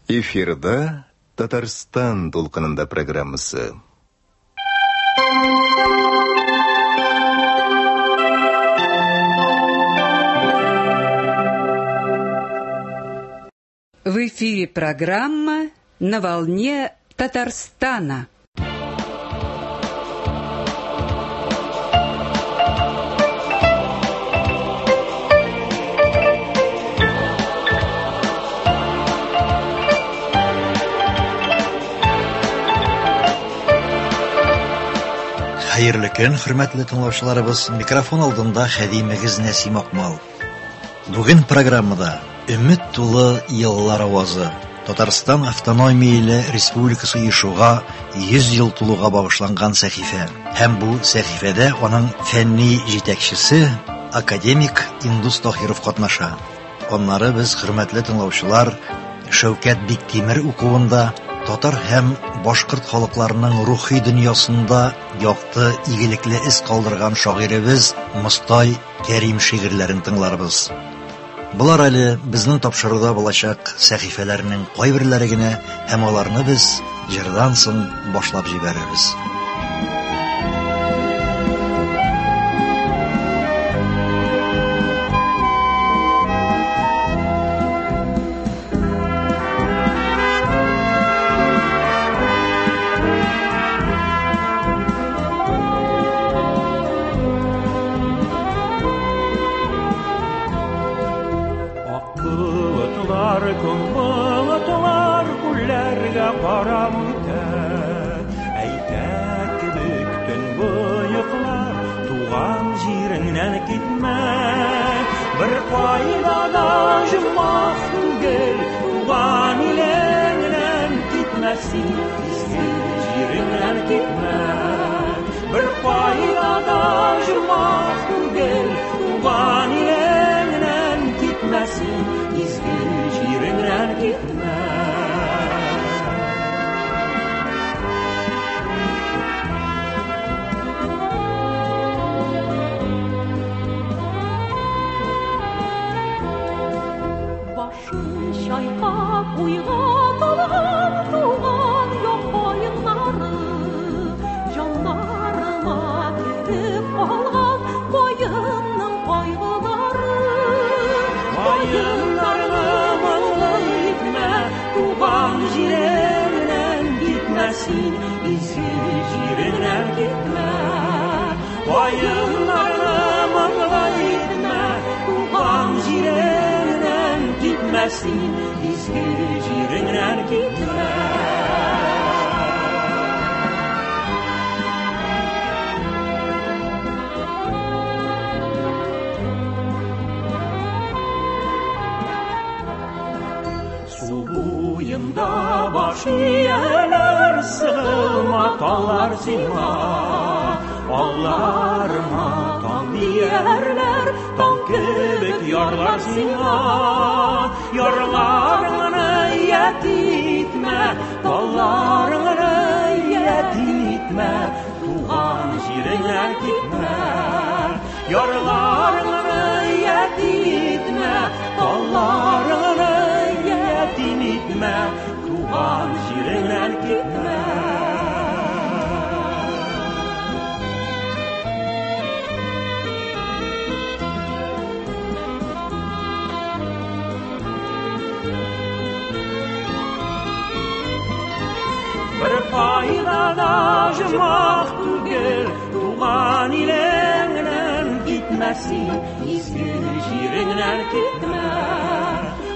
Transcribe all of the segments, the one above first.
Эфирда Татарстан дулкынында программасы. В эфире программа «На волне Татарстана». Хәерле көн, хөрмәтле тыңлаучыларыбыз. Микрофон алдында хәдимегез Нәсим Акмал. Бүген программада Өмет тулы еллар авазы. Татарстан автономияле республикасы оешуга 100 ел тулуга багышланган сәхифә. Һәм бу сәхифәдә аның фәнни җитәкчесе академик Индус Таһиров катнаша. Аннары без, хөрмәтле тыңлаучылар, Шәүкәт Биктимер укуында татар һәм башкорт халыкларының рухи дөньясында якты, игелекле эз калдырган шагыйребез Мостай Кәрим шигырьләрен тыңларбыз. Болар әле безнең тапшыруда булачак сәхифәләрнең кайберләре генә, һәм аларны без җырдан соң башлап җибәрербез. Болытлар күлләргә карап үтә. Әйтә кебек төнбоеклар, туган җиреңнән китмә. Бер кайда да җомах түгел, туган илеңнән китмә син, изге җиреңнән китмә. Бер кайда да җомах түгел, туган илеңнән китмә син, изге җиреңнән китмә. Башын чайкап уйга талган туган як каеннары, җаннарыма кереп калган каенның кайгылары. Каеннарны моңлы итмә, туган җиреңнән китмә син, изге җиреңнән китмә. Каеннарны моңлы итмә, туган җиреңнән китмә син, изге җиреңнән китмә. Су буенда баш ияләр, сыгылма таллар сиңа. Алларыма таң диярләр, таң кебек ярлар сиңа. Ярларыңны ятим итмә, талларыңны ятим итмә, туган җиреңнән китмә. Ярларыңны ятим итмә, талларыңны ятим итмә, туган җиреңнән китмә. Бер кайда да җомах түгел, туган илеңнән китмә син, изге җиреңнән китмә.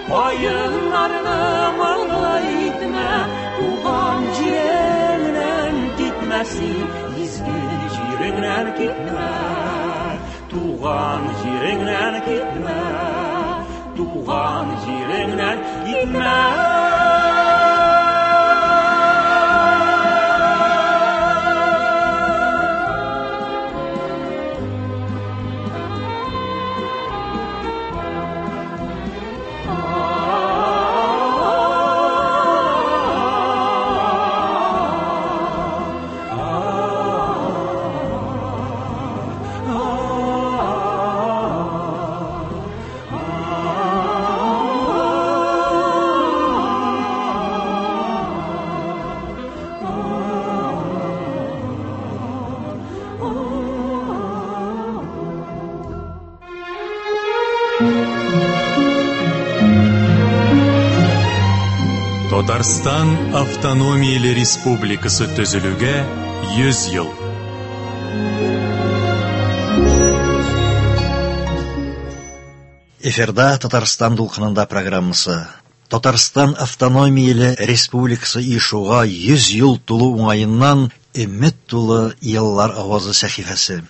Каеннарны моңлы итмә, туган җиреңнән китмә син, изге җиреңнән китмә. Туган җиреңнән китмә, туган җиреңнән китмә. Татарстан автономияле республикасы төзелүгә 100 ел. Эфирда Татарстан дулкынында программасы. Татарстан автономияле республикасы оешуга 100 ел тулу уңаеннан Өмет тулы еллар авазы сәхифәсе.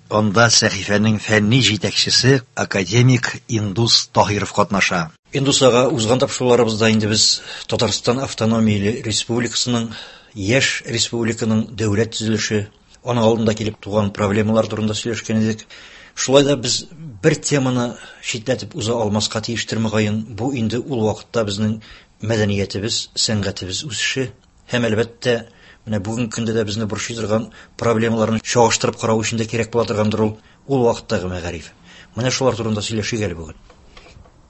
Анда сәхифәнең фәнни җитәкчесе академик Индус Таһиров катнаша. Индус ага, узган тапшыруларыбызда инде без Татарстан автономияле республикасының, яшь республиканың дәүләт төзелеше, аның алдында килеп туган проблемалар турында сөйләшкән идек. Шулай да без бер теманы читләтеп уза алмаска тиештер мөгаен. Бу инде ул вакытта безнең мәдәниятебез, сәнгатебез үсеше һәм, әлбәттә, менә бүгенге көндә дә безне борчый торган проблемаларны чагыштырып карау өчен дә кирәк була торгандыр ул, ул вакыттагы мәгариф. Менә шулар турында сөйләшик әле бүген.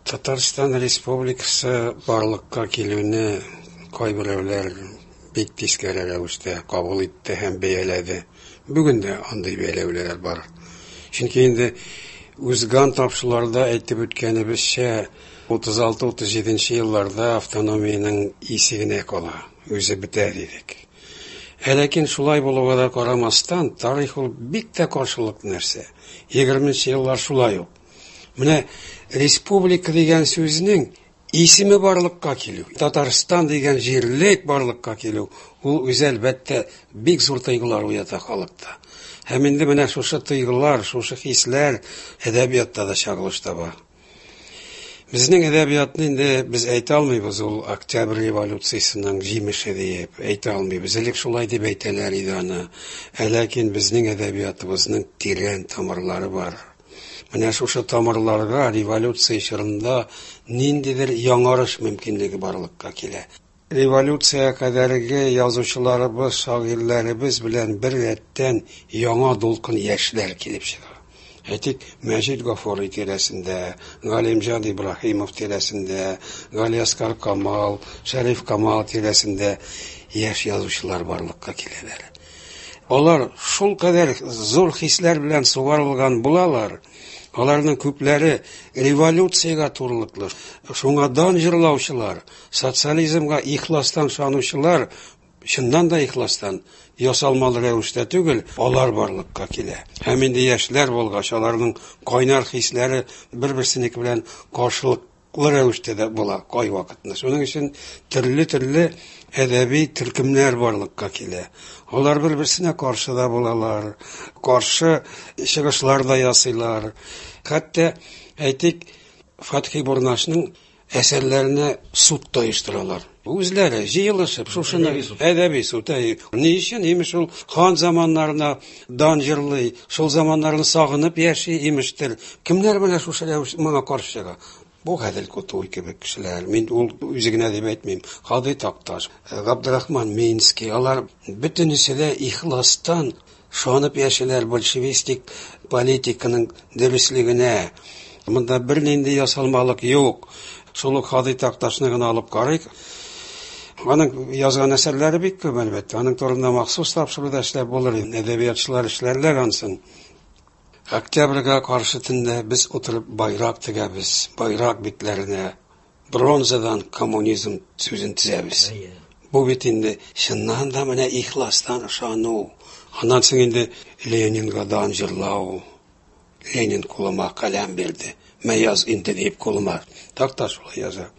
Татарстан Республикасы барлыкка килүне кайберәүләр бик тискәре рәвештә кабул итте һәм бәяләде. Бүген дә андый бәяләүләр бар. Чөнки инде узган тапшыруларда әйтеп үткәнебезчә, 36-37 елларда автономиянең исе генә кала, үзе бетә дидек. Ә ләкин шулай булуга да карамастан, тарих ул бик тә каршылыклы нәрсә. 20 еллар шулай ук. Менә республика дигән сүзнең исеме барлыкка килү, Татарстан дигән җирлек барлыкка килү, ул үзе әлбәттә бик зур тойгылар уята халыкта. Һәм инде менә шушы тойгылар, шушы хисләр әдәбиятта да чагылыш таба. Безнең әдәбиятны инде без әйтә алмыйбыз, ул Октябрь революциясенең җимеше диеп әйтә алмыйбыз. Элек шулай дип әйтәләр иде аны. Ә ләкин безнең әдәбиятыбызның тирән тамырлары бар. Менә шушы тамырларга революция чорында ниндидер яңарыш мөмкинлеге барлыкка килә. Революция кадәрге язучыларыбыз, шагыйрьләребез белән бер рәттән яңа дулкын яшьләр килеп чыга. Әйтик, Мәҗит Гафури тирәсендә, Галимҗан Ибраһимов тирәсендә, Галиәсгар Камал, Шәриф Камал тирәсендә яшь язучылар барлыкка киләләр. Алар шул кадәр зур хисләр белән сугарылган булалар. Аларның күпләре революциягә турылыклы, шуңа дан җырлаучылар, социализмга ихластан ышанучылар, чыннан да ихластан, ясалмалы рәвештә түгел, алар барлыкка килә. Һәм инде яшьләр булгач, аларның кайнар хисләре бер-берсенеке белән каршылыклы рәвештә дә була кайвакытны. Шуның өчен төрле-төрле әдәби төркемнәр барлыкка килә. Алар бер-берсенә каршы да булалар, каршы чыгышлар да ясыйлар. Хәтта, әйтик, Фатхи Бурнашның әсәрләренә суд та оештыралар. Үзләре җыелышып, шушыны әдәби суд. Әй, ни өчен? Имеш, ул хан заманнарына дан җырлый, шул заманнарны сагынып яши, имештер. Кемнәр менә шушы рәвеш моңа каршы чыга? Бу Гадел Кутуй кебек кешеләр. Мин ул үзе генә дип әйтмим. Һади Такташ, Габдрахман Минский, алар бөтенесе дә ихластан шанып яшиләр большевистик политиканың дөреслегенә. Монда бернинди ясалмалык юк. Шул ук Һади Такташны гына алып карыйк. Аның язган әсәрләре бик күп, әлбәттә. Аның турында махсус тапшыруда эшләп булыр. Әдәбиятчылар эшләрләр ансын. Октябрьгә каршы төндә без утырып байрак тегәбез, байрак битләренә бронзадан коммунизм сүзен тезәбез. Бу бит инде чыннан да менә ихластан ышану. Аннан соң инде Ленинга дан җырлау. Ленин кулыма каләм бирде. Мә яз инде дип кулыма. Такташ шулай яза.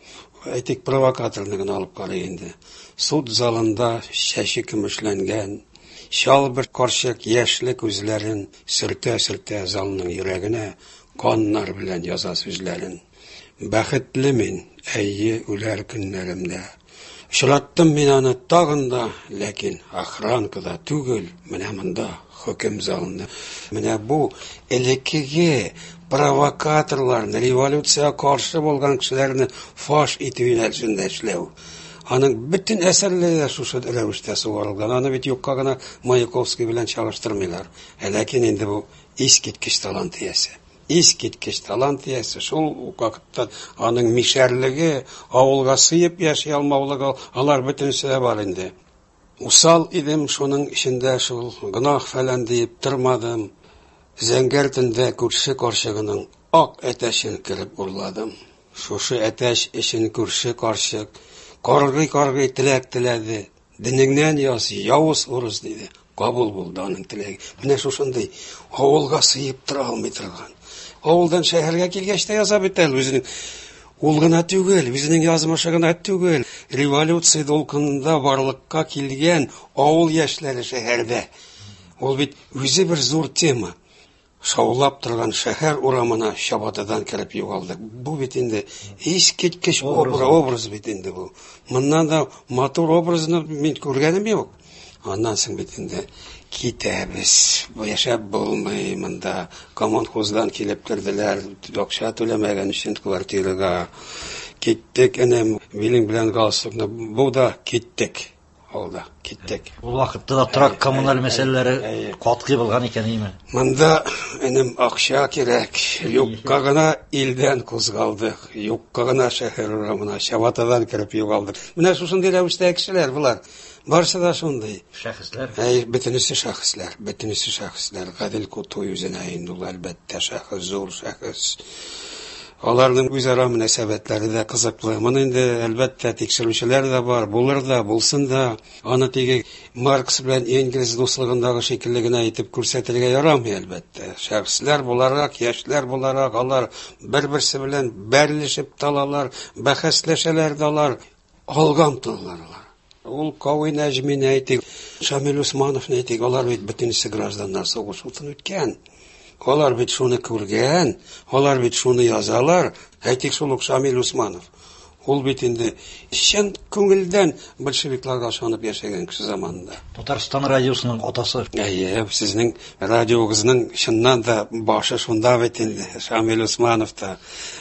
Әйтик, провокаторны гына алып карый инде. Суд залында чәче көмешләнгән, чал бер карчык яшьле күзләрен сөртә-сөртә залның йөрәгенә каннар белән яза сүзләрен. Бәхетле мин, әйе, үләр көннәремдә. Очраттым мин аны тагын да, ләкин охранкада түгел, менә монда, хөкем залында. Менә бу элеккеге провокаторларны, революциягә каршы булган кешеләрне фаш итү юнәлешендә эшләү. Аның бөтен әсәрләре дә шушы рәвештә сугарылган. Аны бит юкка гына Маяковский белән чагыштырмыйлар. Ә ләкин инде бу искиткеч талант иясе. Искиткеч талант иясе. Шул ук вакытта аның мишәрлеге, авылга сыеп яши алмаулыгы, алар бөтенесе дә бар инде. Усал идем, шуның эчендә шул гөнаһ фәлән диеп тормадым. Зәңгәр төндә күрше карчыгының ак әтәчен кереп урладым. Шушы әтәч өчен күрше карчык Каргый-каргый теләк теләде. Денеңнән яз, явыз урыс, диде. Кабул булды аның теләге. Менә шушындый авылга сыеп тора алмый торган. Авылдан шәһәргә килгәч тә яза бит әле үзенең. Ул гына түгел, үзенең язмышы гына түгел. Революция дулкынында барлыкка килгән авыл яшьләре шәһәрдә. Ул бит үзе бер зур тема. Шаулап торган шәһәр урамына чабатадан кереп югалдык. Бу бит инде искиткеч образ бит инде бу. Моннан да матур образны мин күргәнем юк. Аннан соң бит инде китәбез. Бу яшәп булмый монда. Коммунхоздан килеп керделәр, акча түләмәгән өчен квартирага. Киттек, энем, билең белән галстукны бу да киттек. Алда киттек. Ул вакытта да торак коммуналь мәсьәләләре катгый булган икән, әйме? Монда, энем, акча кирәк. Юкка гына илдән кузгалдык. Юкка гына шәһәр урамына чабатадан кереп югалдык. Менә шушындый рәвештә кешеләр болар. Барысы да шундый. Шәхесләр. Әй, бөтенесе шәхесләр, бөтенесе шәхесләр. Гадел Кутуй үзенә инде ул, әлбәттә, шәхес, зур шәхес. Аларның үзара мөнәсәбәтләре дә кызыклы. Моны инде, әлбәттә, тикшерүчеләр дә бар, булыр да, булсын да. Аны теге Маркс белән Энгельс дуслыгындагы шикелле генә итеп күрсәтергә ярамый, әлбәттә. Шәхесләр буларак, яшьләр буларак, алар бер-берсе белән бәрелешеп тә алалар, бәхәсләшәләр дә алар, алга омтылалар алар. Ул Кави Нәҗмине әйтик, Шамил Усмановны әйтик, алар бит бөтенесе гражданнар сугыш утын үткән. Алар бит шуны күргән, алар бит шуны язалар. Әйтик, шул ук Шамил Усманов. Ул бит инде чын күңелдән большевикларга ышанып яшәгән кеше заманында. Татарстан радиосының атасы. Әйе, сезнең радиогызның чыннан да башы шунда бит инде, Шамил Усманов та.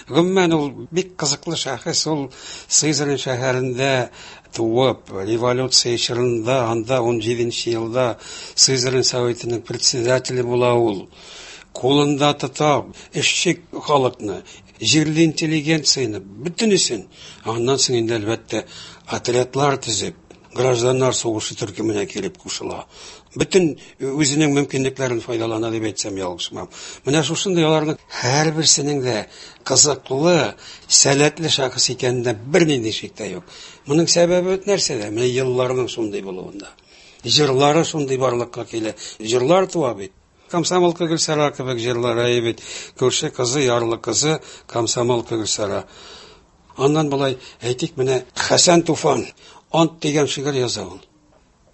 Гомумән, ул бик кызыклы шәхес, ул Сызрань шәһәрендә туып, революция чорында, анда 17 елда Сызрань советының председателе була ул. Кулында тота эшче халыкны, җирле интеллигенцияне, бөтенесен. Аннан соң инде, әлбәттә, отрядлар төзеп, гражданнар сугышы төркеменә килеп кушыла. Бөтен үзенең мөмкинлекләрен файдалана дип әйтсәм ялгышмам. Менә шушындый аларның һәрберсенең дә кызыклы, сәләтле шәхес икәнендә бернинди шик тә юк. Моның сәбәбе нәрсәдә? Менә елларның шундый булуында. Җырлары шундый барлыкка килә. Җырлар туа бит. Комсомолка Гөлсара кебек җырлар, әйе бит. Күрше кызы, ярлы кызы, комсомолка Гөлсара. Аннан болай әйтик, менә Хәсән Туфан Ант дигән шигырь яза ул.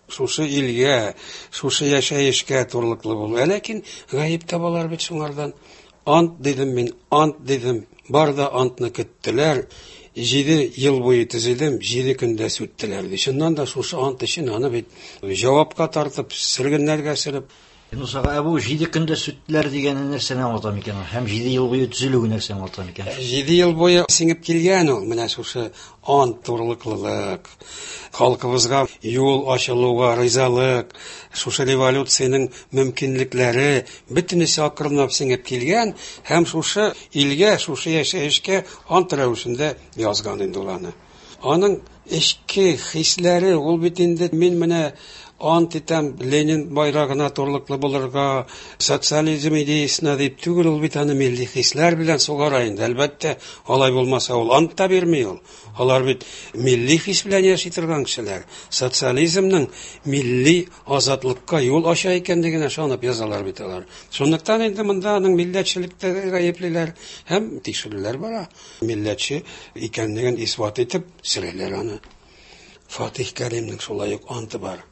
Шушы илгә, шушы яшәешкә турылыклы булу. Ә ләкин гаеп табалар бит шуңардан. Ант дидем мин, ант дидем. Бар да антны көттеләр. 7 ел буе төзедем, 7 көндә сүттеләр. Чыннан да шушы ант өчен аны бит җавапка тартып, сөргеннәргә сөреп. Юнус ага, ә бу 7 көндә сүттеләр дигәне нәрсәне аңлата микән? Һәм 7 ел буе төзелүе нәрсәне аңлата микән? 7 ел буе сеңеп килгән ул, менә шушы ант турылыклылык, халкыбызга юл ачылуга ризалык, шушы революциянең мөмкинлекләре бөтенесе акрынлап сеңеп килгән һәм шушы илгә, шушы яшәешкә ант рәвешендә язган инде ул аны. Аның эчке хисләре, ул бит инде мин менә ант итәм Ленин байрагына турылыклы булырга, социализм идеясына дип түгел, ул бит аны милли хисләр белән сугара инде. Әлбәттә, алай булмаса ул ант та бирми ул. Алар бит милли хис белән яши торган кешеләр. Социализмның милли азатлыкка юл ача икәнлегенә ышанып язалар бит алар. Шунлыктан инде монда аның милләтчелектә гаеплиләр һәм тикшерүләр бара. Милләтче икәнлеген исбат итеп сөрәләр аны. Фатих Кәримнең шулай ук анты бар.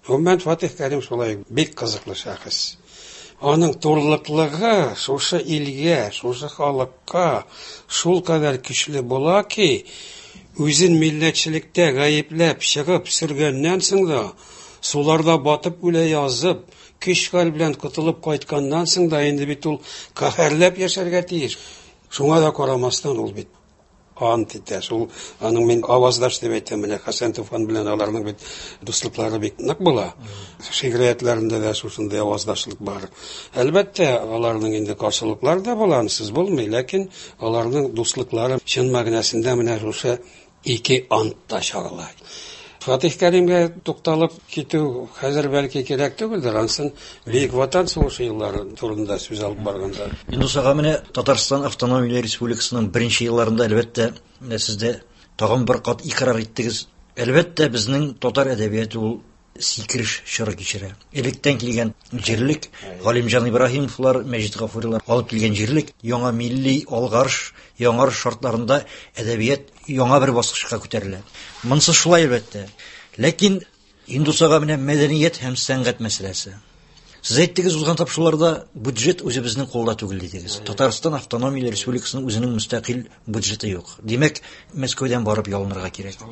Гомумән, Фатих Кәрим шулай ук бик кызыклы шәхес. Аның турылыклыгы шушы илгә, шушы халыкка шул кадәр көчле була ки, үзен милләтчелектә гаепләп чыгып сөргәннән соң да, суларда батып үлә язып, көч-хәл белән котылып кайтканнан соң да инде бит ул каһәрләп яшәргә тиеш. Шуңа да карамастан ул бит ант итә. Шул аның мин аваздаш дип әйтәм, менә Хәсән Туфан белән аларның бит дуслыклары бик нык була. Шигъриятләрендә дә шушындый аваздашлык бар. Әлбәттә, аларның инде каршылыклары да була, ансыз булмый, ләкин аларның дуслыклары чын мәгънәсендә менә шушы ике антта чагыла. Фатих Кәримгә тукталып китү хәзер бәлки кирәк түгелдер, ансын Бөек Ватан сугышы еллары турында сүз алып барганда. Юнус ага, менә Татарстан Автономияле Республикасының беренче елларында, әлбәттә, менә сез дә Тагын бер кат икърар иттегез. Әлбәттә, безнең татар әдәбияты ул сикереш чоры кичерә. Электән килгән җирлек, Галимҗан Ибраһимовлар, Мәҗит Гафурилар алып килгән җирлек, яңа милли алгарыш, яңарыш шартларында әдәбият яңа бер баскычка күтәрелә. Монсы шулай әлбәттә. Ләкин Индусага менә мәдәният һәм сәнгать мәсьәләсе. Сез әйттегез узган тапшыруларда бюджет үзебезнең кулда түгел дидегез. Татарстан автономияле республикасының үзенең мөстәкыйль бюджеты юк. Димәк, Мәскәүдән барып ялынырга кирәк.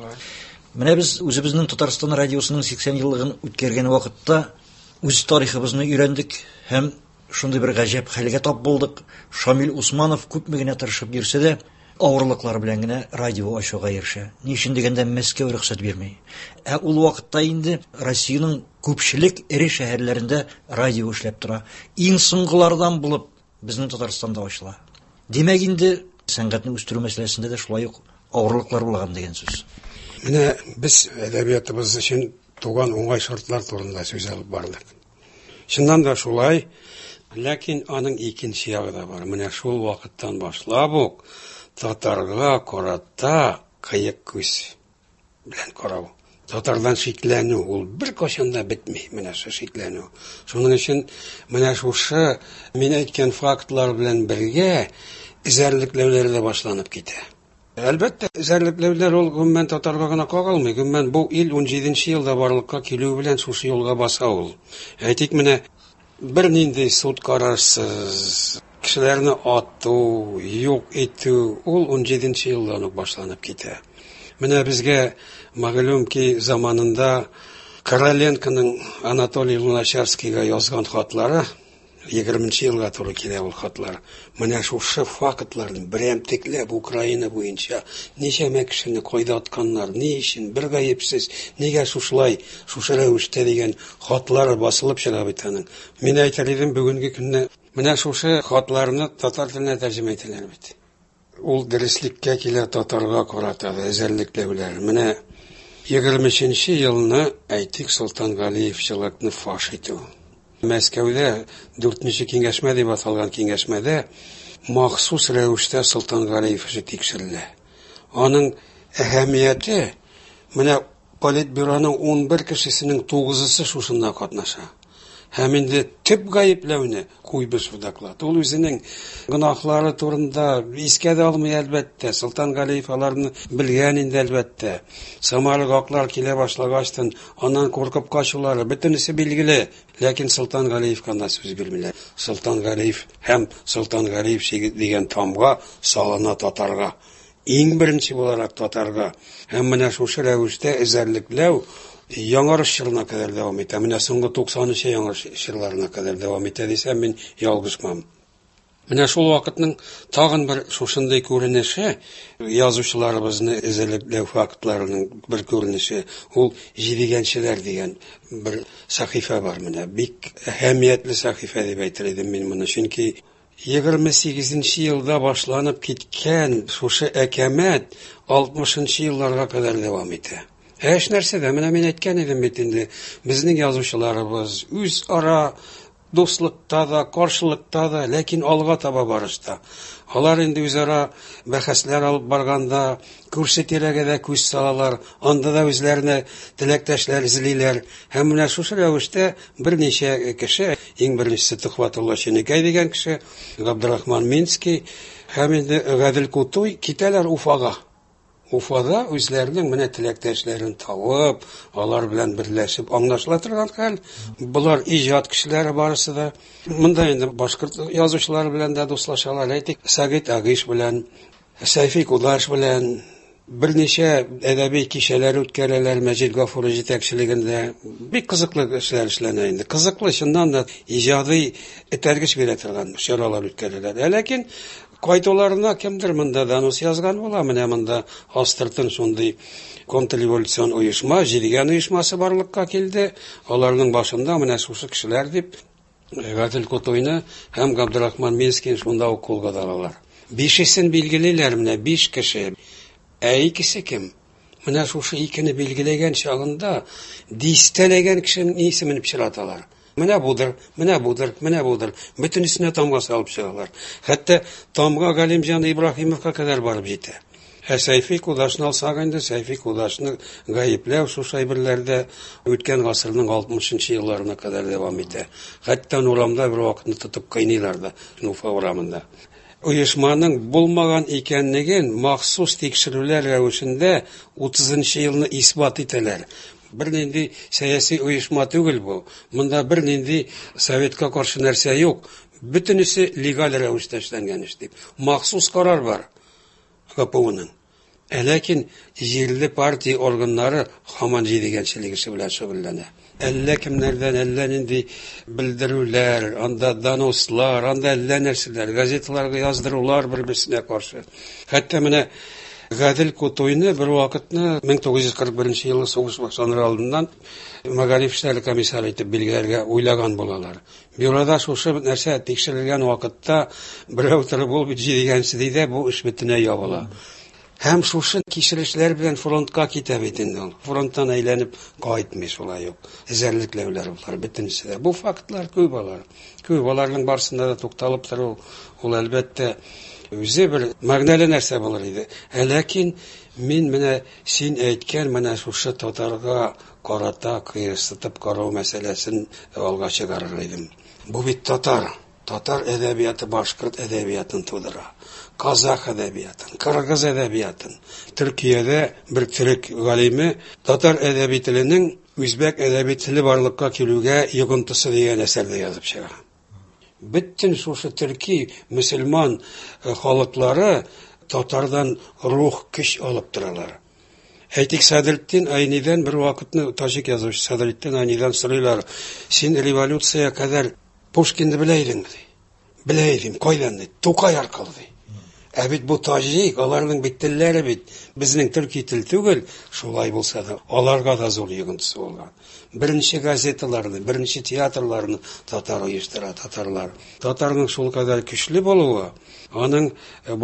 Менә без үзебезнең Татарстан радиосының 80 еллыгын үткәргән вакытта үз тарихыбызны өйрәндек һәм шундый бер гаҗәп хәлгә тап булдык. Шамил Усманов күпме генә тырышып йөрсә дә, авырлыклар белән генә радио ачуга ирешә. Ни өчен дигәндә, Мәскәү рөхсәт бирми. Ә ул вакытта инде Россиянең күпчелек эре шәһәрләрендә радио эшләп тора. Иң соңгылардан булып безнең Татарстанда ачыла. Димәк инде, сәнгатьне үстерү мәсьәләсендә дә шулай ук авырлыклар булган дигән сүз. Менә без әдәбиятыбыз өчен туган уңай шартлар турында сүз алып бардык. Чыннан да шулай, ләкин аның икенче ягы да бар. Менә шул вакыттан башлап ук татарга карата кыек күз белән карау. Татардан шикләнү, ул бер кайчан да бетми, менә шул шикләнү. Шуның өчен менә шушы мин әйткән фактлар белән бергә эзәрлекләүләр дә башланып китә. Әлбәттә, эзәрлекләүләр ул гомумән татарга гына кагылмый. Гомумән бу ил 17 елда барлыкка килүе белән шушы юлга баса ул. Әйтик, менә бернинди суд карарсыз кешеләрне ату, юк итү ул 17 елдан ук башланып китә. Менә безгә мәгълүм ки, заманында Короленконың Анатолий Луначарскийга язган хатлары 20 елга туры килә ул хатлар. Менә шушы фактларны берәмтекләп Украина буенча ничәмә кешене кайда атканнар, ни өчен, бер гаепсез, нигә шушылай, шушы рәвештә дигән хатлар басылып чыга бит аның. Мин әйтер идем, бүгенге көнне менә шушы хатларны татар теленә тәрҗемә итәләр бит. Ул дөреслеккә килә татарга карата да эзәрлекләүләр. Менә 23 елны, әйтик, Солтан Галиевчылыкны фаш итү. Мәскәүдә 4нче киңәшмә дип аталган киңәшмәдә махсус рәвештә Солтан Галиев эше тикшерелә. Аның әһәмияте менә Политбюроның 11 кешесенең 9-ысы шушында катнаша. Һәм инде төп гаепләүне Куйбышев доклад. Ул үзенең гөнаһлары турында искә дә алмый әлбәттә. Солтан Галиев аларны белгән инде әлбәттә. Самара аклар килә башлагачтан аннан куркып качулары бөтенесе билгеле. Ләкин Солтан Галиевка анда сүз бирмиләр. Солтан Галиев һәм Солтан Галиев дигән тамга салына татарга. Иң беренче буларак татарга. Һәм менә шушы рәвештә эзәрлекләү яңарыш чорына кадәр дәвам итә. Менә соңгы 90нчы яңарыш чорларына кадәр дәвам итә дисәм, мин ялгышмам. Менә шул вакытның тагын бер шушындый күренеше, язучыларыбызны эзәрлекләү фактларының бер күренеше, ул Җидегәнчеләр дигән бер сәхифә бар менә. Бик әһәмиятле сәхифә дип әйтер идем мин моны, чөнки 28 елда башланып киткән шушы әкәмәт 60 елларга кадәр дәвам итә. Ә эш нәрсәдә? Менә мин әйткән идем бит инде, безнең язучыларыбыз үзара дуслыкта да, каршылыкта да, ләкин алга таба барышта. Алар инде үзара бәхәсләр алып барганда, күрше тирәгә дә күз салалар, анда да үзләренә теләктәшләр эзлиләр. Һәм менә шушы рәвештә берничә кеше, иң беренчесе Төхвәтулла Ченекәй дигән кеше, Габдрахман Минский һәм инде Гадел Кутуй китәләр Уфага. Уфада үзләренең менә теләктәшләрен табып, алар белән берләшеп аңлашыла торган хәл. Болар иҗат кешеләре барысы да. Монда инде башкорт язучылары белән дә дуслашалар. Әйтик, Сәгыйть Агиш белән, Сәйфи Кудаш белән берничә әдәби кичәләр үткәрәләр Мәҗит Гафури җитәкчелегендә. Бик кызыклы эшләр эшләнә инде. Кызыклы, чыннан да иҗади этәргеч бирә торган чаралар үткәрәләр. Ә ләкин кайтуларына кемдер монда донос язган була, менә монда астыртын шундый контрреволюцион оешма, Җидегән оешмасы барлыкка килде. Аларның башында менә шушы кешеләр дип Гадел Кутуйны һәм Габдрахман Минскийны шунда ук кулга алалар. Бишесен билгелиләр менә, 5 кеше. Ә икесе кем? Менә шушы икене билгеләгән чагында дистәләгән кешенең исемен пычраталар. Менә будыр, менә будыр, менә будыр. Бөтенесенә тамга салып чыгалар. Хәтта тамга Галимҗан Ибраһимовка кадәр барып җитә. Ә Сәйфи Кудашны алсак инде, Сәйфи Кудашны гаепләү шушы әйберләрдә үткән гасырның 60 елларына кадәр дәвам итә. Хәтта урамда бер вакытны тотып кыйныйлар да, Уфа урамында. Оешманың булмаган икәнлеген махсус тикшерүләр рәвешендә 30 елны исбат итәләр. Бернинди сәяси оешма түгел бу. Монда бернинди советка каршы нәрсә юк. Бөтенесе легаль рәвештә эшләнгән эш дип. Махсус карар бар ГПУның. Ә ләкин җирле партия органнары һаман җидегәнчелек эше белән шөгыльләнә. Әллә кемнәрдән әллә нинди белдерүләр, анда донослар, анда әллә нәрсәләр, газеталарга яздырулар бер-берсенә каршы. Хәтта менә Гадел Кутуйны бер вакытны 1941 елы сугыш башланыр алдыннан мәгариф эшләре комиссары итеп билгеләргә уйлаган булалар. Бюрода шушы нәрсә тикшерелгән вакытта берәү торып, ул бит җидегәнче ди дә, бу эш бөтенләй ябыла. Һәм шушы кичерешләр белән фронтка китә бит инде ул. Фронттан әйләнеп кайтмый шулай ук. Эзәрлекләүләр болар бөтенесе дә. Бу фактлар күп алар. Күп аларның барысында да тукталып тору ул әлбәттә үзе бер мәгънәле нәрсә булыр иде. Ә ләкин мин менә син әйткән менә шушы татарга карата кыерсытып карау мәсьәләсен алга чыгарыр идем. Бу бит татар. Татар әдәбияты башкорт әдәбиятын тудыра. Казах әдәбиятын, кыргыз әдәбиятын. Төркиядә бер төрек галиме татар әдәби теленең үзбәк әдәби теле барлыкка килүгә йогынтысы дигән әсәрдә язып чыга. Бөтен шушы төрки мөселман халыклары татардан рух көч алып торалар. Әйтик, Садретдин Айнидән бер вакытны таҗик язучы Садретдин Айнидән сорыйлар: "Син революция кадәр Пушкинны белә идеңме?" ди. Белә идем, кайдан ди? Тукай аркылы ди. Ә бит бу таҗик, аларның бит телләре бит безнең төрки тел түгел, шулай булса да, аларга да зур йогынтысы булган. Беренче газеталарны, беренче театрларны татар оештыра, татарлар. Татарның шул кадәр көчле булуы, аның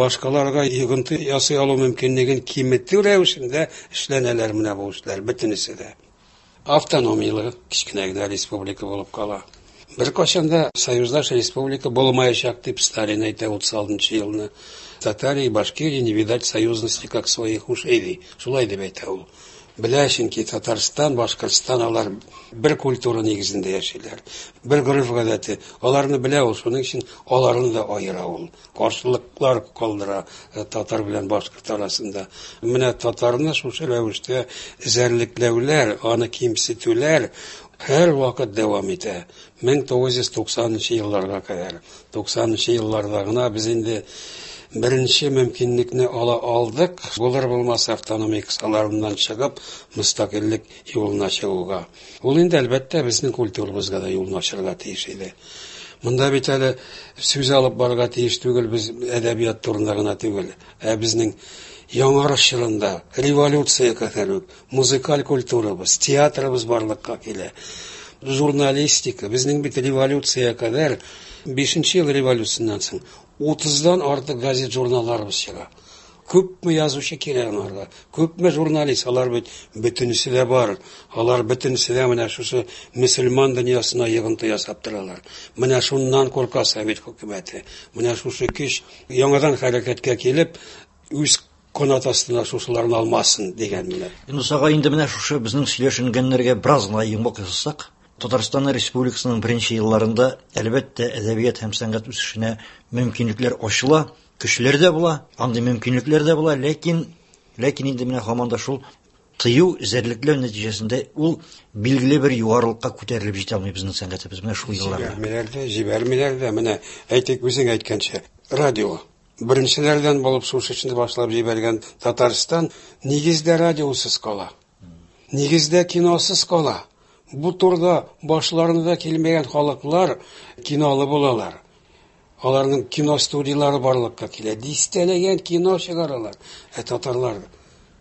башкаларга йогынты ясый алу мөмкинлеген киметү рәвешендә эшләнәләр менә бу эшләр, бөтенесе дә. Автономияле кечкенә генә республика булып кала. Беркайчан да союздаш республика булмаячак дип Сталин әйтә 36 елны. Татарии и Башкирии не видать союзности как своих ушей ди. Шулай дип әйтә ул. Белә, чөнки Татарстан, Башкортстан алар бер культура нигезендә яшиләр. Бер гореф-гадәте. Аларны белә ул, шуның өчен аларны да аера ул. Каршылыклар калдыра татар белән башкорт арасында. Менә татарны шушы рәвештә эзәрлекләүләр, аны кимсетүләр һәр вакыт дәвам итә. 1990 елларга кадәр. 90 елларда гына без инде беренче мөмкинлекне ала алдык. Булыр булмас автономия кысаларыннан чыгып, мөстәкыйльлек юлына чыгуга. Ул инде әлбәттә безнең культурабызга да юлны ачарга тиеш иде. Монда бит әле сүз алып барырга тиеш түгел без әдәбият турында гына түгел, ә безнең яңарыш чорында революция кадәр үк музыкаль культурабыз, театрыбыз барлыкка килә. Журналистика, безнең бит революция кадәр 5 ел революциясеннән соң 30-дан артык газет журналларыбыз чыга. Күпме язучы кирәк аларга, күпме журналист, алар бит бөтенесе дә бар. Алар бөтенесе дә менә шушы мөселман дөньясына йогынты ясап торалар. Менә шуннан курка совет хөкүмәте. Менә шушы көч яңадан хәрәкәткә килеп, үз канат астына шушыларны алмасын дигән менә. Юныс агай, инде менә шушы безнең сөйләшенгәннәргә бераз гына йомгак ясасак, Татарстан Республикасының беренче елларында, әлбәттә, әдәбият һәм сәнгать үсешенә мөмкинлекләр ачыла, көчләр дә була, андый мөмкинлекләр дә була, ләкин ләкин инде менә һаман да шул тыю, эзәрлекләү нәтиҗәсендә ул билгеле бер югарылыкка күтәрелеп җитә алмый безнең сәнгатебез менә шул елларда. Җибәрмиләр дә, җибәрмиләр дә. Менә әйтик, үзең әйткәнчә, радио. Беренчеләрдән булып шушы эшне башлап җибәргән Татарстан нигездә радиосыз кала. Нигездә киносыз кала. Бу турыда башларына да килмәгән халыклар кинолы булалар. Аларның кино студиялары барлыкка килә. Дистәләгән кино чыгаралар. Ә татарлар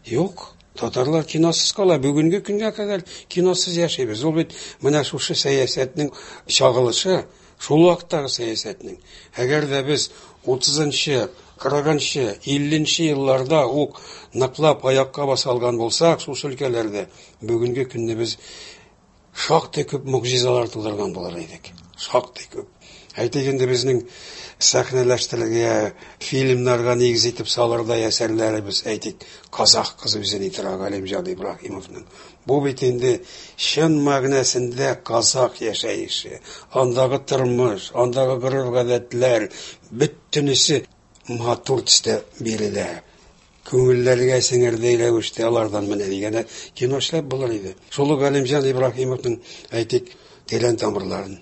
юк. Татарлар киносыз кала. Бүгенге көнгә кадәр киносыз яшибез. Ул бит менә шушы сәясәтнең чагылышы, шул вакыттагы сәясәтнең. Әгәр дә без 30-нчы, 40-нчы, 50-нче елларда ук ныклап аякка баса алган булсак, шушы өлкәләрдә бүгенге көнне без шактый күп могҗизалар тудырган булыр идек. Шактый күп. Әйтик инде безнең сәхнәләштерергә, фильмнарга нигез итеп салырдай әсәрләребез, әйтик, Казах кызы үзе ни тора Галимҗан Ибраһимовның. Бу бит инде чын мәгънәсендә казах яшәеше, андагы тормыш, андагы гореф-гадәтләр, бөтенесе матур төстә бирелә. Күңелләргә сеңердәй рәвештә алардан менә дигән кино эшләп булыр иде. Шул ук Галимҗан Ибраһимовның, әйтик, Тирән тамырларын.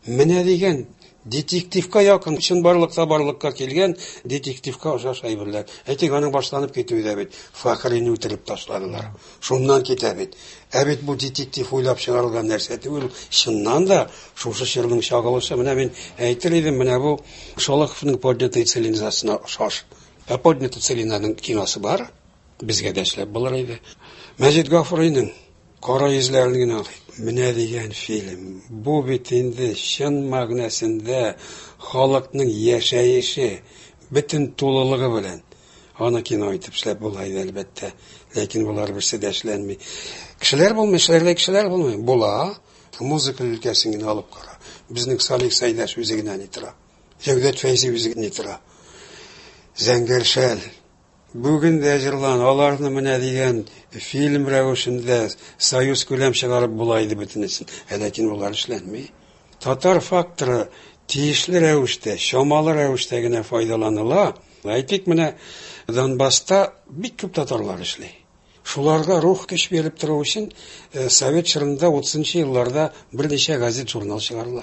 Менә дигән детективка якын, чынбарлыкта барлыкка килгән детективка охшаш әйберләр. Әйтик, аның башланып китүе дә бит Фәхрине үтереп ташладылар. Шуннан китә бит. Ә бит бу детектив уйлап чыгарылган нәрсә түгел, чыннан да шушы чорның чагылышы. Менә мин әйтер идем, менә бу Шолоховның Поднятая целинасына охшаш. Ә Поднятая целинаның киносы бар, безгә дә эшләп булыр иде. Мәҗит Гафуриның Кара йөзләрен генә алыйк. Менә дигән фильм. Бу бит инде чын мәгънәсендә халыкның яшәеше, бөтен тулылыгы белән. Аны кино итеп эшләп була иде, әлбәттә. Ләкин болар берсе дә эшләнми. Кешеләр булмый, эшләрдәй кешеләр булмый. Була. Музыка өлкәсен генә алып кара. Безнең Салих Сәйдәш үзе генә ни тора. Җәүдәт Фәйзи үзе ни тора. Зәңгәр шәл. Бүген дә җырлан, аларны менә дигән фильм рәвешендә союз күләм чыгарып була иде бөтенесен. Ә ләкин болар эшләнми. Татар факторы тиешле рәвештә, чамалы рәвештә генә файдаланыла. Әйтик, менә Донбасста бик күп татарлар эшли. Шуларга рух көч биреп тору өчен совет чорында 30 елларда берничә газет-журнал чыгарыла.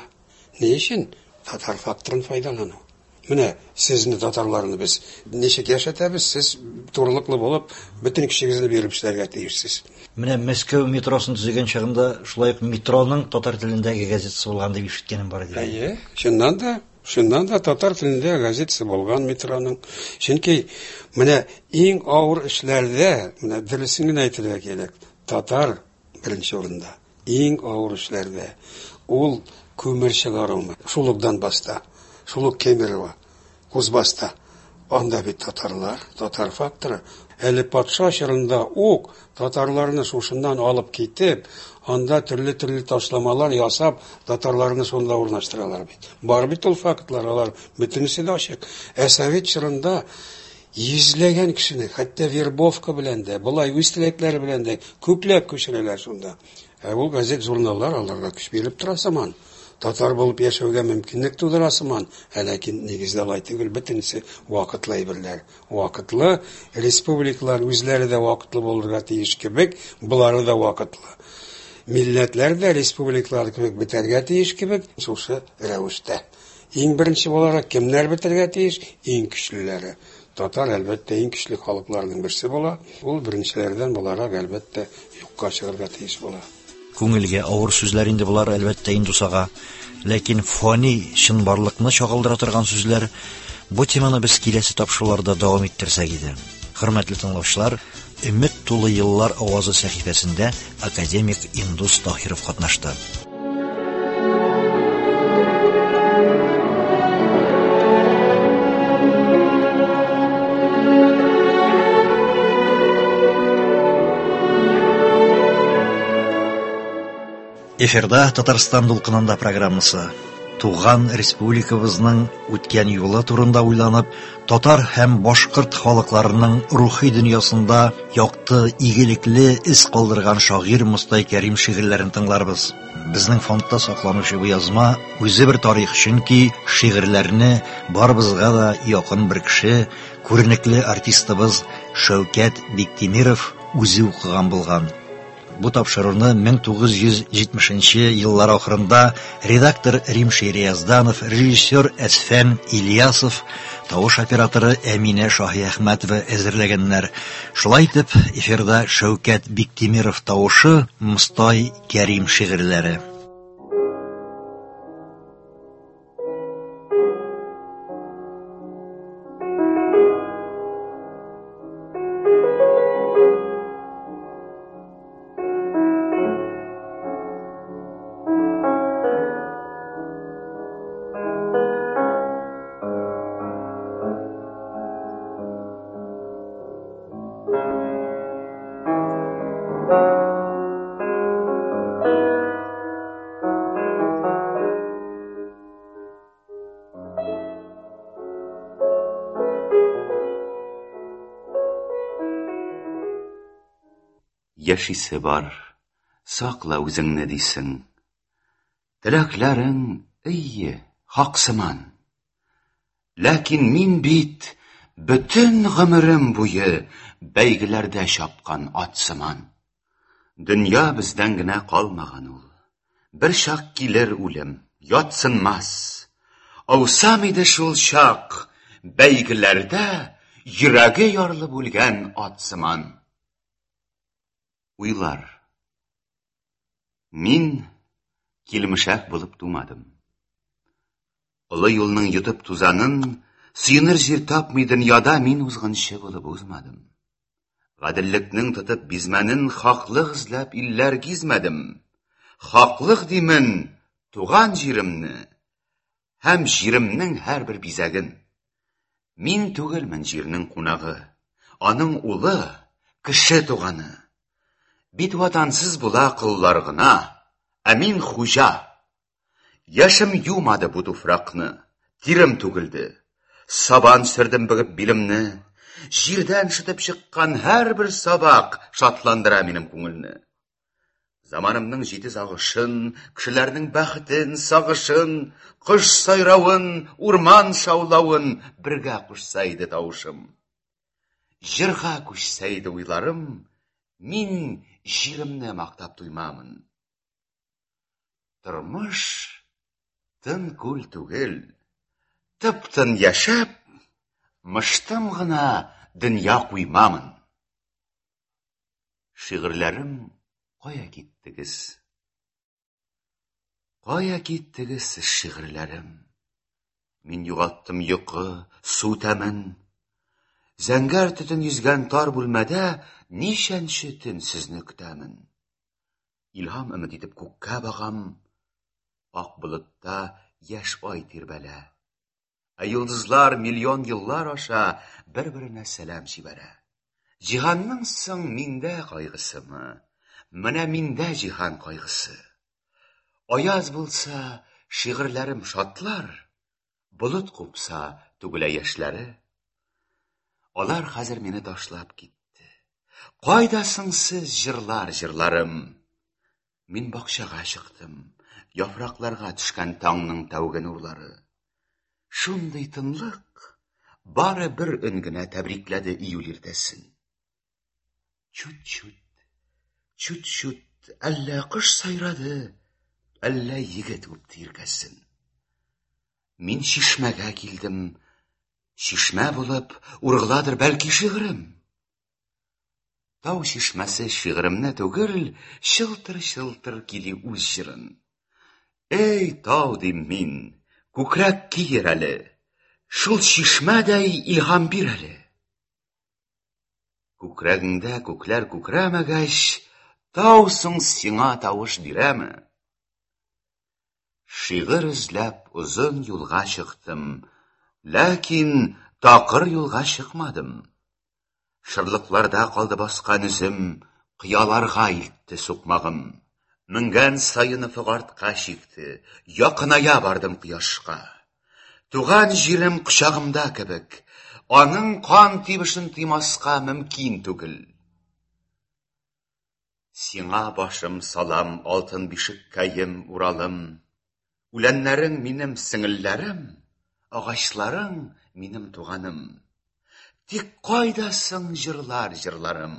Ни өчен? Татар факторын файдалану. Менә сезне, татарларны без ничек яшәтәбез, сез турылыклы булып, бөтен көчегезне биреп эшләргә тиешсез. Менә Мәскәү метросын төзегән чагында шулай ук метроның татар телендәге газетасы булган дип ишеткәнем бар иде. Әйе, чыннан да, чыннан да татар телендә газетасы булган метроның. Чөнки менә иң авыр эшләрдә, менә дөресен генә әйтергә кирәк, татар беренче урында. Иң авыр эшләрдә ул күмер чыгарумы? Шул ук Донбасста, шул ук Кемерово, Кузбасста. Анда бит татарлар, татар факторы. Әле патша чорында ук татарларны шушыннан алып китеп, анда төрле-төрле ташламалар ясап, татарларны шунда урнаштыралар бит. Бар бит ул фактлар, алар бөтенесе дә ачык. Ә совет чорында йөзләгән кешене, хәтта вербовка белән дә, болай үз теләкләре белән дә күпләп күчерәләр шунда. Ә ул газет-журналлар аларга көч биреп тора сыман. Татар булып яшәүгә мөмкинлек тудыра сыман. Ә ләкин нигездә алай түгел, бөтенесе вакытлы әйберләр. Вакытлы республикалар үзләре дә вакытлы булырга тиеш кебек, болары да вакытлы. Милләтләр дә республикалар кебек бетәргә тиеш кебек, шушы рәвештә. Иң беренче буларак кемнәр бетәргә тиеш? Иң көчлеләре. Татар, әлбәттә, иң көчле халыкларның берсе була. Ул беренчеләрдән буларак, әлбәттә, юкка чыгарга тиеш була. Күңелгә авыр сүзләр инде болар, әлбәттә, Индус ага. Ләкин фани чынбарлыкны чагылдыра торган сүзләр. Бу теманы без киләсе тапшыруларда дәвам иттерсәк иде. Хөрмәтле тыңлаучылар, Өмет тулы еллар авазы сәхифәсендә академик Индус Таһиров катнашты. Эфирда Татарстан дулкынында программасы. Туган республикабызның үткән юлы турында уйланып, татар һәм башкорт халыкларының рухи дөньясында якты, игелекле эз калдырган шагыйрь Мостай Кәрим шигырьләрен тыңларбыз. Безнең фондта сакланучы бу язма үзе бер тарих, чөнки шигырьләрне барыбызга да якын бер кеше, күренекле артистыбыз Шәүкәт Биктимиров үзе укыган булган. Бу тапшыруны 1970 еллар ахырында редактор Рим Шириязданов, режиссер Әсфән Ильясов, тавыш операторы Әминә Шаһиәхмәтова әзерләгәннәр. Шулай итеп, эфирда Шәүкәт Биктимиров тавышы, Мостай Кәрим шигырьләре. Яшисе бар, сакла үзеңне дисең. Теләкләрең, әйе, хак сыман. Ләкин мин бит бөтен гомерем буе бәйгеләрдә чапкан ат сыман. Дөнья бездән генә калмаган ул. Бер чак килер үлем, ятсынмас. Аусам иде шул чак бәйгеләрдә йөрәге ярылып үлгән ат сыман. Уйлар. Мин килмешәк булып тумадым. Олы юлның йотып тузанын, сөенер җир тапмый дөньяда мин узгынчы булып узмадым. Гаделлекнең тотып бизмәнен, хаклык эзләп илләр гизмәдем. Хаклык димен туган җиремне һәм җиремнең һәрбер бизәген. Мин түгелмен җирнең кунагы, аның улы, кеше туганы. Бит ватансыз була коллар гына, ә мин хуҗа. Яшем юмады бу туфракны, тирем түгелде. Сабан сөрдем бөгеп билемне. Җирдән шытып чыккан һәрбер сабак шатландыра минем күңелне. Заманымның җитез агышын, кешеләрнең бәхетен, сагышын, кош сайравын, урман шаулавын бергә кушса иде тавышым. Җырга күчсә иде уйларым, мин җиремне мактап туймамын. Тормыш тын күл түгел. Тып-тын яшәп, мыштым гына дөнья куймамын. Шигырьләрем, кая киттегез? Кая киттегез сез, шигырьләрем? Мин югалттым йокы, су тәмен. Зәңгәр төтен йөзгән тар бүлмәдә ничәнче төн сезне көтәмен. Илһам өмет итеп күккә багам, ак болытта яшь ай тирбәлә. Ә йолдызлар миллион еллар аша бер-беренә сәлам җибәрә. Җиһанның соң миндә кайгысымы? Менә миндә җиһан кайгысы. Аяз булса, шигырьләрем шатлар, болыт купса, түгелә яшьләре. Алар хәзер мине ташлап китте. Кайда соң сез, җырлар, җырларым? Мин бакчага чыктым. Яфракларга төшкән таңның тәүге нурлары. Шундый тынлык, бары бер өн генә тәбрикләде июль иртәсен. Чут-чут, чут-чут, әллә кош сайрады, әллә егет үпте иркәсен. Мин чишмәгә килдем. Чишмә булып ургыладыр бәлки шигырем. Тау чишмәсе шигыремне түгел, чылтыр-чылтыр кили үз җырын. Эй, тау дим мин, күкрәк киер әле, шул чишмәдәй илһам бир әле. Күкрәгеңдә күкләр күкрәмәгәч, тау соң сиңа тавыш бирәме? Шигырь эзләп озын юлга чыктым, ләкин такыр юлга чыкмадым. Шырлыкларда калды баскан үзем, кыяларга илтте сукмагым. Менгән саен офык артка чикте, якыная бардым кояшка. Туган җирем кочагымда кебек, аның кан тибешен тоймаска мөмкин түгел. Сиңа башым салам, алтын бишеккәем, Уралым. Үләннәрең минем сеңелләрем, агачларың минем туганым. Тик кайда соң җырлар җырларым?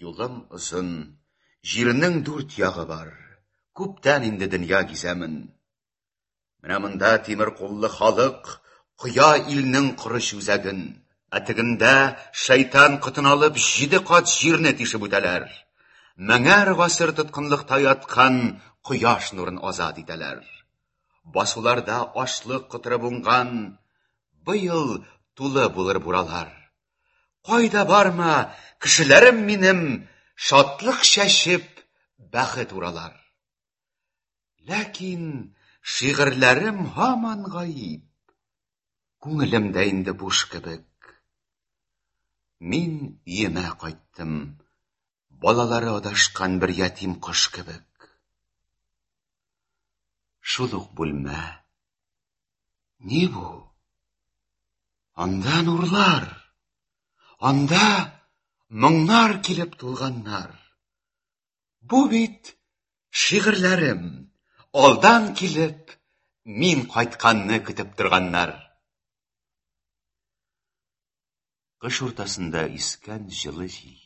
Юлым озын, җирнең дүрт ягы бар. Күптән инде дөнья гизәмен. Менә монда тимер куллы халык коя илнең корыч үзәген. Ә тегендә шайтан котын алып җиде кат җирне тишеп үтәләр. Меңәр гасыр тоткынлыкта яткан кояш нурын азат итәләр. Басуларда ашлык котырып уңган, быел тулы булыр буралар. Кайда барма, кешеләрем минем шатлык чәчеп, бәхет уралар. Ләкин шигырьләрем һаман гаип. Күңелем дә инде буш кебек. Мин өемә кайттым. Балалары адашкан бер ятим кош кебек. Шул ук бүлмә. Ни бу? Анда нурлар. Анда Моңнар килеп тулганнар. Бу бит шигырьләрем, алдан килеп, мин кайтканны көтеп торганнар. Кыш уртасында искән җылы җил.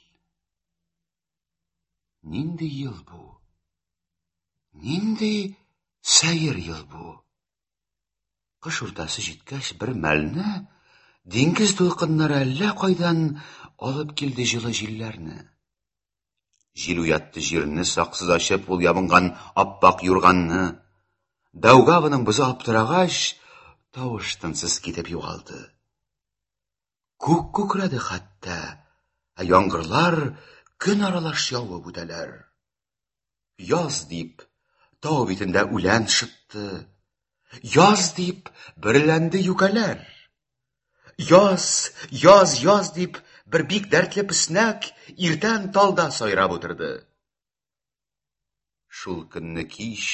Нинди ел бу? Нинди сәер ел бу? Кыш уртасы җиткәч, бер мәлне диңгез дулкыннары әллә кайдан алып килде җылы җилләрне. Җил уятты җирне, саксыз ачып ул ябынган аппак юрганны. Даугаваның бозы аптырагач, тавыш тынсыз китеп югалды. Күк күкрәде хәтта, ә яңгырлар көн аралаш явып үтәләр. Яз дип, тау битендә үлән шытты. Яз дип, бөреләнде юкәләр. Яз, яз, яз дип, бер бик дәртле песнәк иртән талда сайрап утырды. Шул көнне кич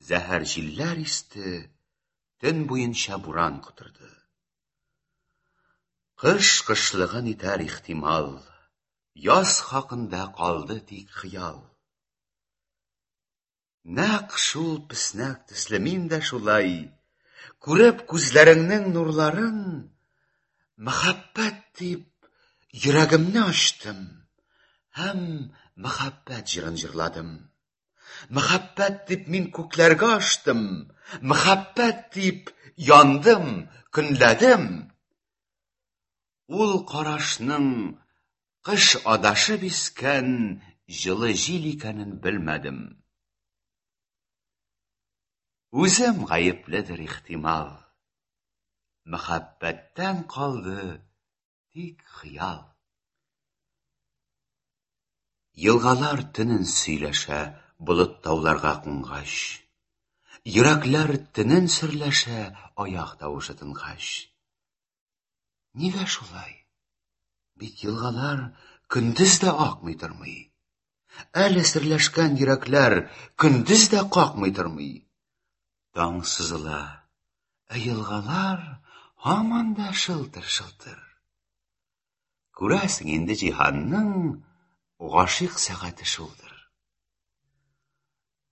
зәһәр җилләр исте, төн буенча буран котырды. Кыш кышлыгын итәр ихтимал, яз хакында калды тик хыял. Нәкъ шул песнәк төсле мин дә шулай, күреп күзләреңнең нурларын, мәхәббәт дип йөрәгемне ачтым һәм мәхәббәт җырын җырладым. Мәхәббәт дип мин күкләргә аштым, мәхәббәт дип яндым, көнләдем. Ул карашның кыш адашып искән җылы җил икәнен белмәдем. Үзем гаепледер ихтимал. Мәхәббәттән калды тик хыял. Елгалар төнен сөйләшә, болыт тауларга кунгач. Йөрәкләр төнен серләшә, аяк тавышы тынгач. Нигә шулай? Бит елгалар көндез дә акмый тормый. Әле серләшкән йөрәкләр көндез дә какмый тормый. Таң сызыла, ә елгалар һаман да шылтыр-шылтыр. Күрәсең инде җиһанның гашыйк сәгате шулдыр.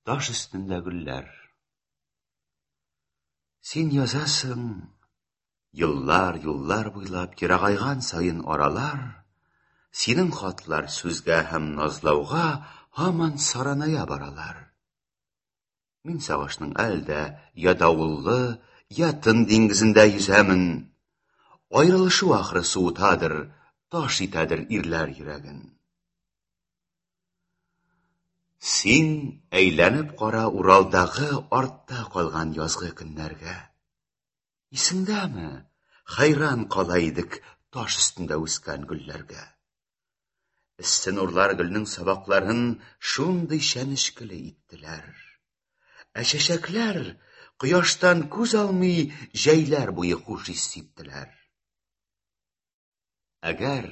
Таш өстендә гөлләр. Син язасың, еллар, юллар буйлап ерагайган саен аралар, синең хатлар сүзгә һәм назлауга һаман сараная баралар. Мин сагышның әле дә я давыллы, я тын диңгезендә йөзәмен. Аерылышу ахры суытадыр, таш итәдер ирләр йөрәген. Син әйләнеп кара Уралдагы артта калган язгы көннәргә. Исеңдәме, хәйран кала идек таш өстендә үскән гөлләргә. Эссе нурлар гөлнең сабакларын шундый чәнечкеле иттеләр. Ә чәчәкләр кояштан күз алмый җәйләр буе хуш ис сиптеләр. Әгәр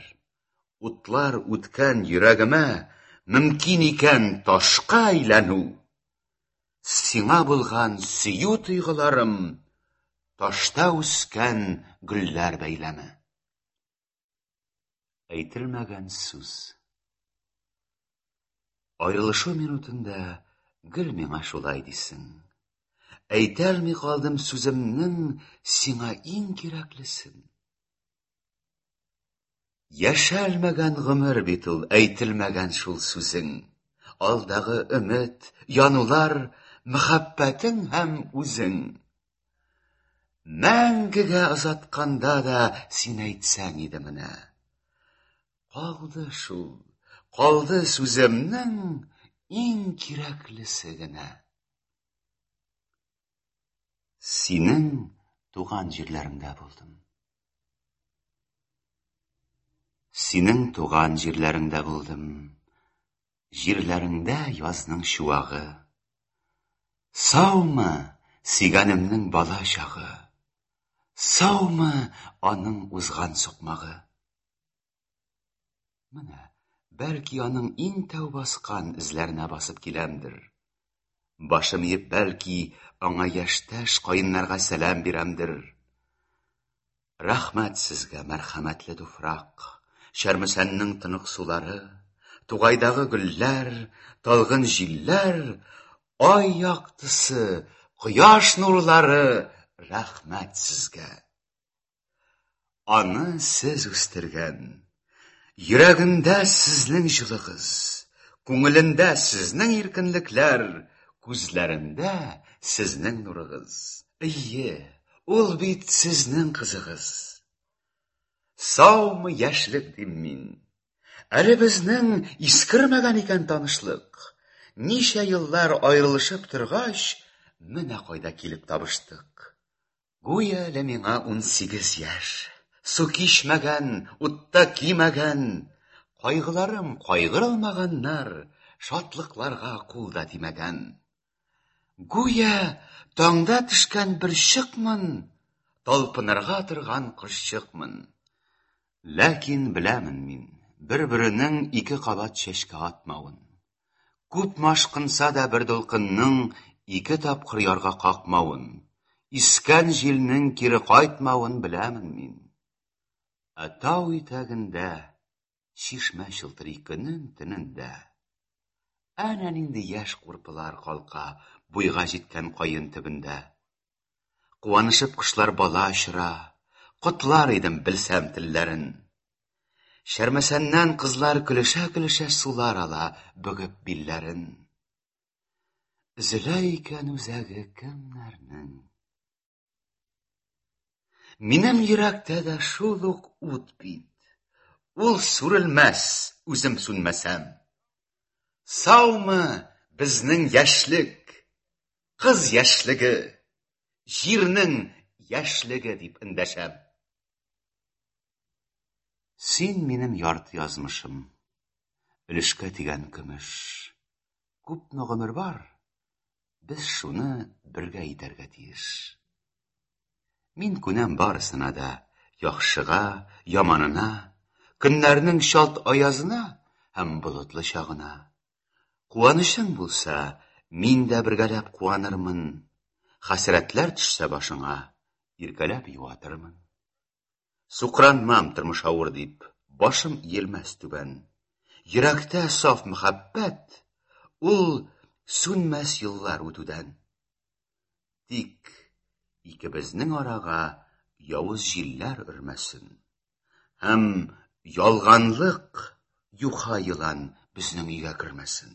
утлар үткән йөрәгемә мөмкин икән ташка әйләнү, сиңа булган сөю тойгыларым ташта үскән гөлләр бәйләме. Әйтелмәгән сүз. Аерылышу минутында гел миңа шулай дисең. Әйтәлми калдым сүземнең сиңа иң кирәклесен. Яшәлмәгән гомер бит ул, әйтелмәгән шул сүзең. Алдагы өмет, янулар, мәхәббәтең һәм үзең. Мәңгегә озатканда да син әйтсәң иде менә. Калды шул, калды сүземнең иң кирәклесе генә. Синең туган җирләреңдә булдым. Синең туган җирләреңдә булдым. Җирләреңдә язның чуагы. Саумы сөйгәнемнең бала чагы? Саумы аның узган сукмагы? Менә, бәлки аның иң тәү баскан эзләренә басып киләмдер. Башым иеп, бәлки, аңа яшьтәш каеннарга сәлам бирәмдер. Рәхмәт сезгә, мәрхәмәтле туфрак. Чәрмесәннең тонык сулары, тугайдагы гөлләр, талгын җилләр, ай яктысы, кояш нурлары, рәхмәт сезгә. Аны сез үстергән. Йөрәгендә сезнең җылыгыз, күңелендә сезнең иркенлекләр, күзләрендә сезнең нурыгыз. Әйе, ул бит сезнең кызыгыз. Саумы яшьлек дим мин. Әле безнең искермәгән икән танышлык. Ничә еллар аерылышып торгач, менә кайда килеп табыштык. Гүя әле миңа 18 яшь. Су кичмәгән, утта кимәгән, кайгыларым кайгырылмаганнар, шатлыкларга кул да тимәгән. Гүя таңда төшкән бер чыкмын, талпынырга торган кошчыкмын. Ләкин беләмен мин, бер-беренең ике кабат чәчкә атмавын. Күпме ашкынса да бер дулкынның ике тапкыр ярга какмавын, искән җилнең кире кайтмавын беләмен мин. Ә тау итәгендә чишмә чылтырый көнен-төнен дә. Әнә нинди яшь курпылар калка буйга җиткән каен төбендә. Куанышып кошлар бала очыра, котлар идем белсәм телләрен. Чәрмәсәннән кызлар көлешә-көлешә сулар ала, бөгеп билләрен. Өзелә икән үзәге кемнәрнең? Минем йөрәктә дә шул ук ут бит. Ул сүрелмәс, үзем сүнмәсәм. Саумы безнең яшьлек, кыз яшьлеге, җирнең яшьлеге дип эндәшәм. Син минем ярты язмышым, өлешкә тигән көмеш. Күпме гомер бар, без шуны бергә итәргә тиеш. Мин күнәм барысына да, яхшыга, яманына, көннәрнең чалт аязына һәм болытлы чагына. Куанычың булса, мин дә бергәләп куанырмын. Хәсрәтләр төшсә башыңа, иркәләп юатырмын. Сукранмам тормыш авыр дип, башым иелмәс түбән. Йөрәктә саф мәхәббәт, ул сүнмәс еллар үтүдән. Тик икебезнең арага явыз җилләр өрмәсен. Һәм ялганлык юха елан безнең өйгә кермәсен.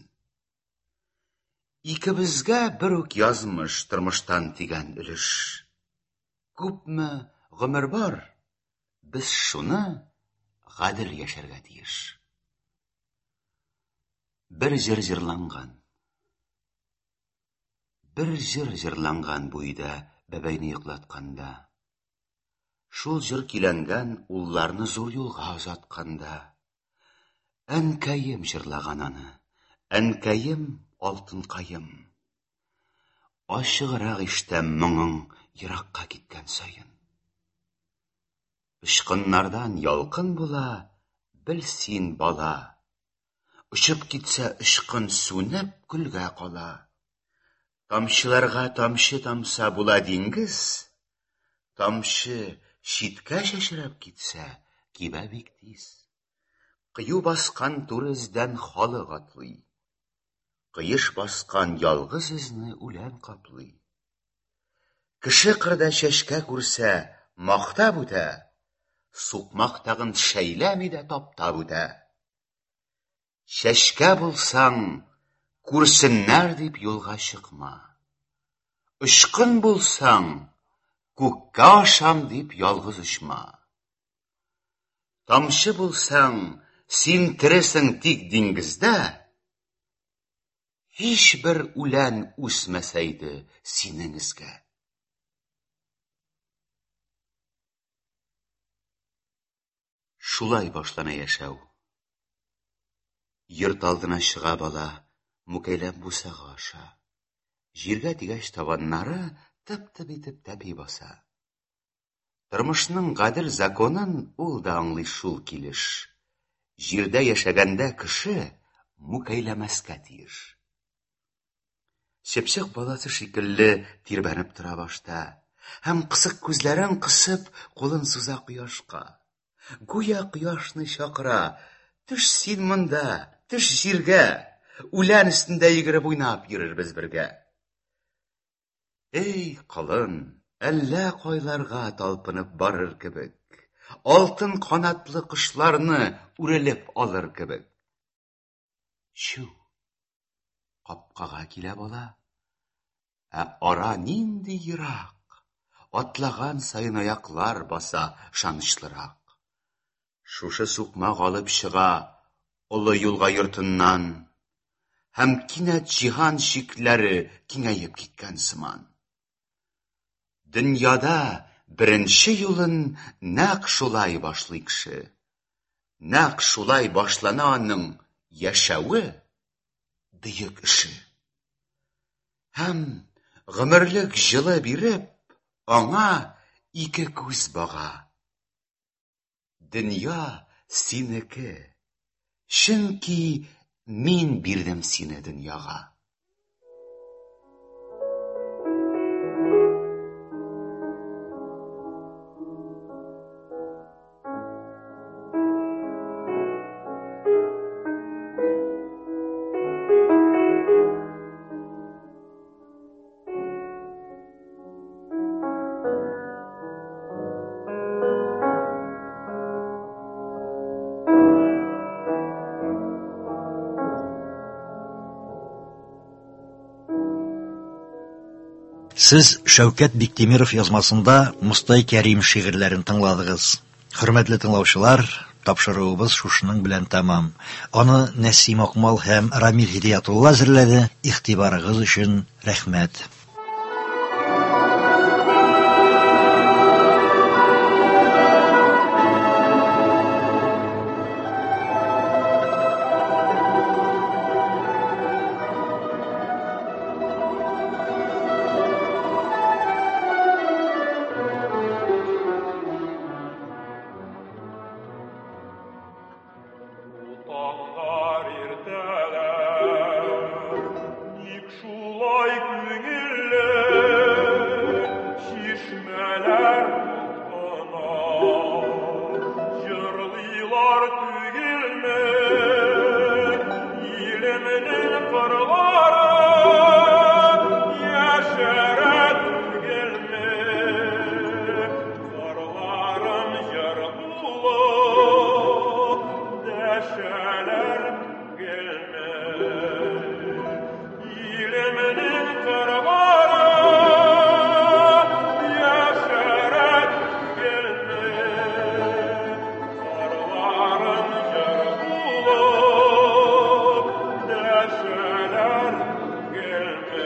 Икебезгә бер үк язмыш тормыштан тигән өлеш. Күпме гомер бар, без шуны гадел яшәргә тиеш. Бер җыр җырланган. Бер җыр җырланган бу өйдә бәбәйне йоклатканда. Шул җыр көйләнгән улларны зур юлга озатканда. Әнкәем җырлаган аны, әнкәем, алтынкаем. Ачыграк ишетәм моңың еракка киткән саен. Очкыннардан ялкын була, бел син, бала. Очып китсә очкын сүнеп көлгә кала. Тамчыларга тамчы тамса була диңгез. Тамчы читкә чәчрәп китсә, кибә бик тиз. Кыю баскан туры эздән халык атлый. Кыеш баскан ялгыз эзне үлән каплый. Кеше кырда чәчкә күрсә, мактап үтә, сукмак тагын шәйләми дә таптап үтә. Чәчкә булсаң, күрсеннәр дип юлга чыкма. Очкын булсаң, күккә ашам дип ялгыз очма. Тамчы булсаң, син тересең тик диңгездә, һичбер үлән үсмәсә иде синең эзгә. Шулай башлана яшәү. Йорт алдына чыга бала, мүкәйләп бусага аша. Җиргә тигәч табаннары тып-тып итеп тәпи баса. Тормышның гадел законын ул да аңлый шул килеш. Җирдә яшәгәндә кеше мүкәйләмәскә тиеш. Чыпчык баласы шикелле тирбәнеп тора башта һәм кысык күзләрен кысып, кулын суза кояшка. Гүя кояшны чакыра, төш син монда, төш җиргә, үлән өстендә йөгереп уйнап йөрербез бергә. Эй, колын, әллә кайларга талпынып барыр кебек, алтын канатлы кошларны үрелеп алыр кебек. Чү, капкага килә бала. Ә ара нинди ерак, атлаган саен аяклар баса ышанычлырак. Шушы сукмак алып чыга олы юлга йортыннан, һәм кинәт җиһан чикләре киңәеп киткән сыман. Дөньяда беренче юлын нәкъ шулай башлый кеше. Нәкъ шулай башлана аның яшәве, бөек эше. Һәм гомерлек җылы биреп, аңа ике күз бага. Дөнья синеке, чөнки мин бирдем сине дөньяга. Сез Шәүкәт Биктимиров язмасында Мостай Кәрим шигырьләрен тыңладыгыз. Хөрмәтле тыңлаучылар, тапшыруыбыз шушының белән тәмам. Аны Нәсим Акмал һәм Рамил Һидиятулла әзерләде. Игътибарыгыз өчен рәхмәт. Таңнар иртәләр, ник шулай күңелле, чишмәләр кына, җырлыйлар түгелме, илемнең кырлары, яшәрә түгелме, кырларым җыр тулы, дәшәләр түгелме, илемнең кырлары, яшәрә түгелме, кырларым җыр тулы, дәшәләр түгелме.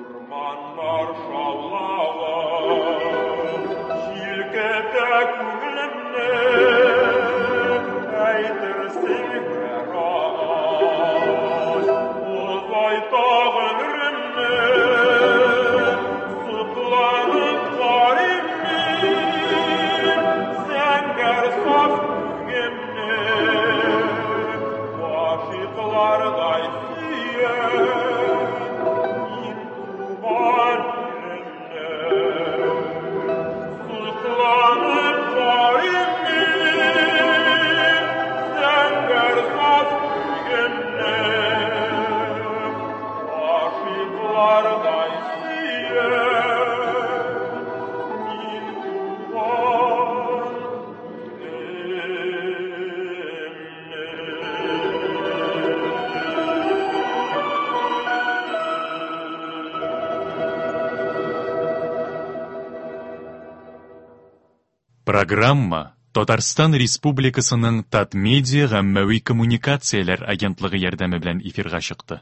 Урманнар шаулавы җилкетә күңелемне, әйтерсең һәр агач озайта гомеремне. Сокланып карыйм мин зәңгәр саф күгемне, гашыйклардай сөям мин туган илемне. Сокланып карыйм мин зәңгәр саф күгемне, гашыйклардай сөям мин туган Программа Татарстан Республикасының Татмедиа гаммәви коммуникацияләр агентлыгы ярдәме белән эфирга чыкты.